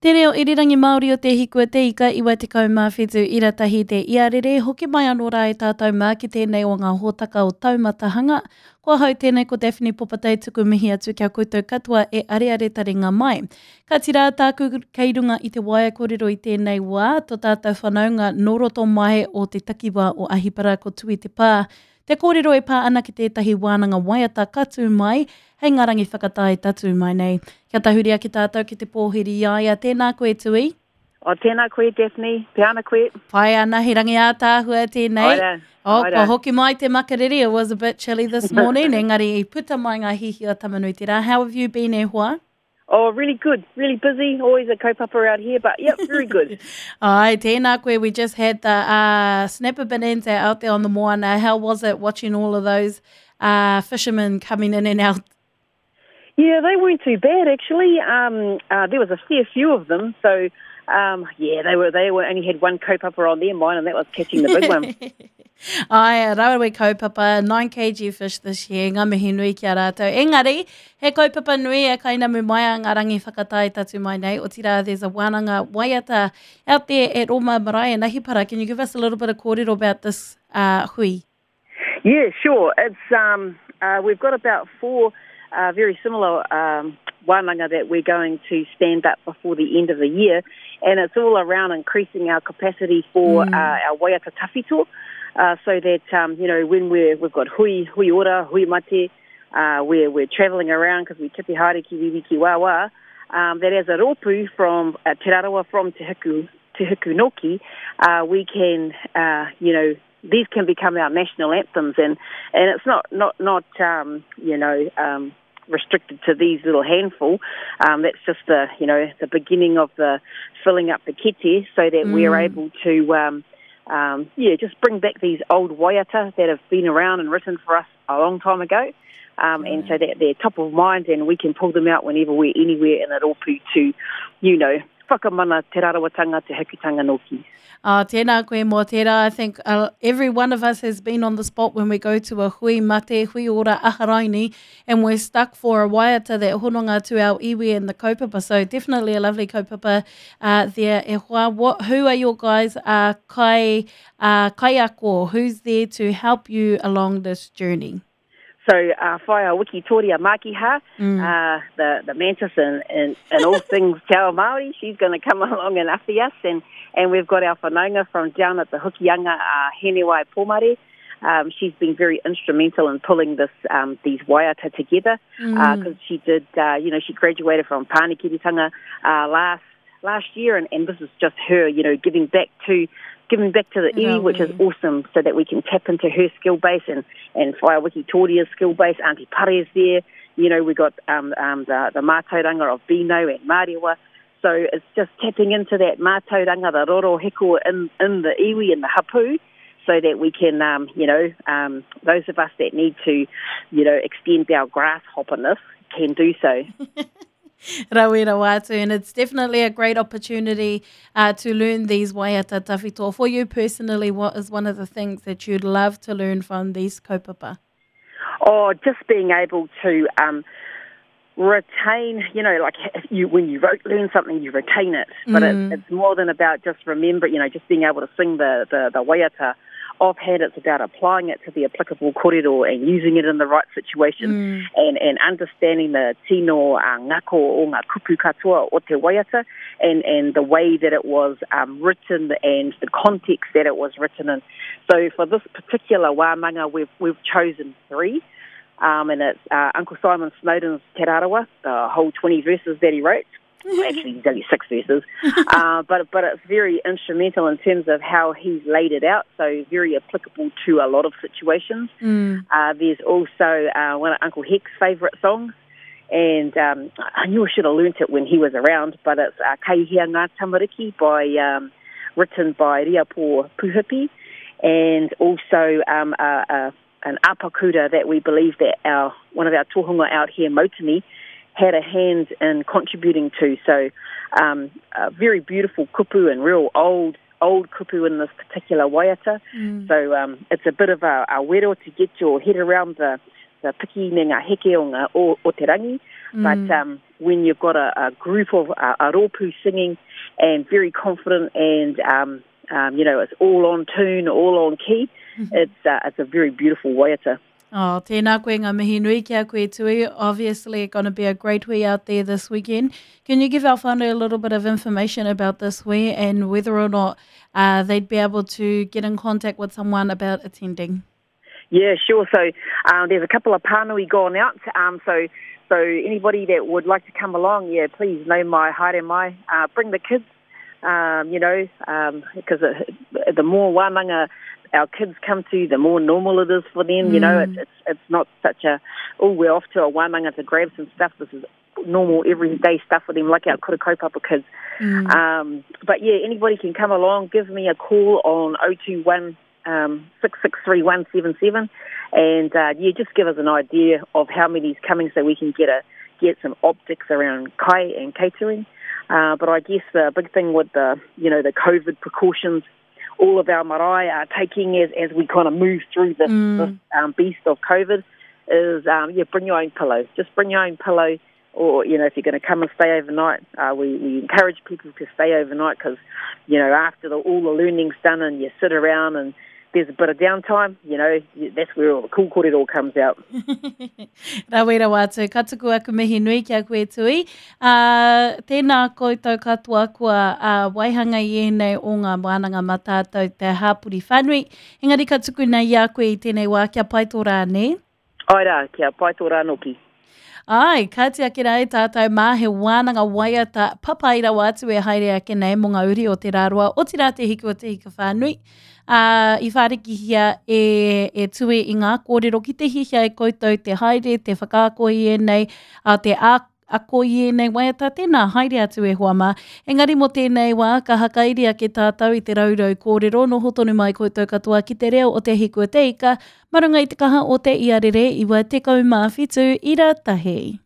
Te reo irirangi Māori o Te Hiku a Te Ika 97 ira tahi te iarere, hoki mai anō rā e tātou mā ki tēnei o ngā hōtaka o Taumatahanga. Ko ahau tēnei ko Daphne Popatai tuku mihi atu ki a koutou katoa e areare taringa mai. Kāti rā tāku kei runga i te waea kōrero i tēnei wā, to tātou whanaunga nō roto mai o te takiwā o Ahipara ko Tui Te Pā. Te kōrero e pā ana ki tētahi wānanga waiata ka tū mai hei ngā rangi whakatae tatū mai nei. Kia tahuri ake tātou ki te pōhiri i a ia. Tēnā koe Tui. Oh, tēnā koe Daphne. Pea ana koe. Pai ana, he rangi ātaahua tēnei. Ora, oh, ora. Kua hoki mai te makariri, it was a bit chilly this morning, engari i puta mai ngā hihi o Tamanuiterā. How have you been e hoa? Oh, really good, really busy, always a kaupapa out here, but yep, very good. Ai, tēnā koe, we just had the uh, Snapper Bonanza out there on the moana. How was it watching all of those uh, fishermen coming in and out? Yeah, they weren't too bad actually. Um, uh, there was a fair few of them, so um, yeah, they were they were only had one kaupapa on their mind, and that was catching the big one. Ai, rawe kaupapa, 9 kg fish this year, ngā mihi nui ki a rātou. Engari, he kaupapa nui e kainamu mai a ngā rangi whakatae tatu mai nei, otirā there's a wānanga waiata out there at Roma Marae in Ahipara. Can you give us a little bit of kōrero about this uh, hui? Yeah, sure. It's, um, uh, we've got about four uh, very similar um, wānanga that we're going to stand up before the end of the year, and it's all around increasing our capacity for mm. uh, our waiata tawhito, uh, so that, um, you know, when we're, we've got hui, hui ora, hui mate, uh, we're, we're travelling around because we tipi haere ki wiwi ki wāwā, um, that as a rōpū from uh, Te Rarawa, from Te Hiku, Te Hiku Noki, uh, we can, uh, you know, these can become our national anthems and, and it's not, not, not um, you know, um, restricted to these little handful. Um, that's just the, you know, the beginning of the filling up the kete so that mm. we're able to, um, um, yeah, just bring back these old waiata that have been around and written for us a long time ago. Um, and so that they're top of mind and we can pull them out whenever we're anywhere in a rōpū to, you know, whakamana te rarawatanga, te hekutanga nōki. Oh, tēnā koe mō tērā. I think uh, every one of us has been on the spot when we go to a hui mate, hui ora aharaini, and we're stuck for a waiata that hononga to our iwi and the kaupapa. So definitely a lovely kaupapa uh, there. E hoa, what, who are your guys uh, kai, uh, kaiako? Who's there to help you along this journey? So uh, Whaea Wikitoria Makiha, mm. uh, the, the mantis and, and, and all things Te Ao Māori, she's going to come along and awhi us. And, and we've got our whanaunga from down at the Hokianga, uh, Henewai Pomare. Um, she's been very instrumental in pulling this um, these waiata together because mm. uh, she did, uh, you know, she graduated from Pānekiretanga uh, last last year, and, and this is just her, you know, giving back to giving back to the iwi, which is awesome, so that we can tap into her skill base and, and Whaea Wikitoria's skill base. Auntie Pare's there. You know, we got um, um, the, the mātauranga of Bino and Mārewa. So it's just tapping into that mātauranga, the roro hiko in, in the iwi and the hapu, so that we can, um, you know, um, those of us that need to, you know, extend our grasshopperness can do so. Rawe rawa atu, and it's definitely a great opportunity uh, to learn these waiata tawhito. For you personally, what is one of the things that you'd love to learn from these kaupapa? Oh, just being able to um, retain, you know, like you when you wrote, learn something, you retain it. But mm. it, it's more than about just remember, you know, just being able to sing the, the, the waiata offhand, it's about applying it to the applicable korero and using it in the right situation mm. and, and understanding the tino uh, ngako o ngā kupu katoa o te waiata and, and the way that it was um, written and the context that it was written in. So for this particular wānanga, we've, we've chosen three. Um, and it's uh, Uncle Simon Snowden's Te Rarawa, the whole 20 verses that he wrote. Actually, there's only six verses, uh, but but it's very instrumental in terms of how he's laid it out. So very applicable to a lot of situations. Mm. Uh, there's also uh, one of Uncle Heck's favourite songs, and um, I knew I should have learnt it when he was around, but it's uh, Kai Hea Ngā Tamariki by um, written by Riapo Puhipi, and also um, a, a, an apakura that we believe that our one of our tohunga out here, Motini, had a hand in contributing to. So um, a very beautiful kupu and real old old kupu in this particular waiata. Mm. So um, it's a bit of a, a wero to get your head around the, the piki me ngā heke o, ngā, o, o te rangi. Mm. But um, when you've got a, a group of a rōpū singing and very confident and, um, um, you know, it's all on tune, all on key, mm-hmm. it's, uh, it's a very beautiful waiata. Oh, tēnā koe ngā mihi nui ki a koe Tui. Obviously going to be a great hui out there this weekend. Can you give our whānau a little bit of information about this hui and whether or not uh, they'd be able to get in contact with someone about attending? Yeah, sure. So um, there's a couple of pānui gone out. Um, so so anybody that would like to come along, yeah, please know my haere mai. Uh, bring the kids, um, you know, because um, the more wānanga our kids come to, the more normal it is for them. Mm. You know, it's, mm. it's it's not such a oh we're off to a wānanga to grab some stuff. This is normal everyday stuff for them, like our kura kaupapa kids. Mm. Um, but yeah, anybody can come along. Give me a call on 021 um, 663177 and uh, yeah, just give us an idea of how many's coming so we can get a get some optics around kai and catering. Uh, but I guess the big thing with the you know the COVID precautions, all of our marae are taking as, as we kind of move through this, mm. this um, beast of COVID is um, yeah, bring your own pillow. Just bring your own pillow or you know if you're going to come and stay overnight, uh, we, we encourage people to stay overnight because you know after the, all the learning's done and you sit around and there's a bit of downtime, you know, that's where all the cool kōrero comes out. Rawe rawa atu, ka tuku aku mihi nui ki a koe Tui. Uh, tēnā koutou katoa kua uh, waihanga i ēnei o ngā wānanga mā tātou te hāpori whānui. Engari ka tuku nei i a koe i tēnei wā kia pai tō rā, nē? Āe rā, kia pai tō rā noki. Āe, kāti ake rā e tātou mā, he wānanga waiata papai rawa atu e haere ake nei mō ngā uri o Te Rāroa, otirā Te Hiku o Te Hika Whānui. Ā, i whārikihia e, e Tui i ngā kōrero ki te hiahia e koutou te haere, te whakaako i ēnei, ā, te ā, ako i ēnei waiata, tēnā, haere atu e hoa mā. Engari mō tēnei wā, ka hakairi ake tātou i te raurau kōrero, noho tonu mai koutou katoa ki te reo o Te Hiku o Te Ika, mā runga i te kaha o te iarere 97 ira tahi.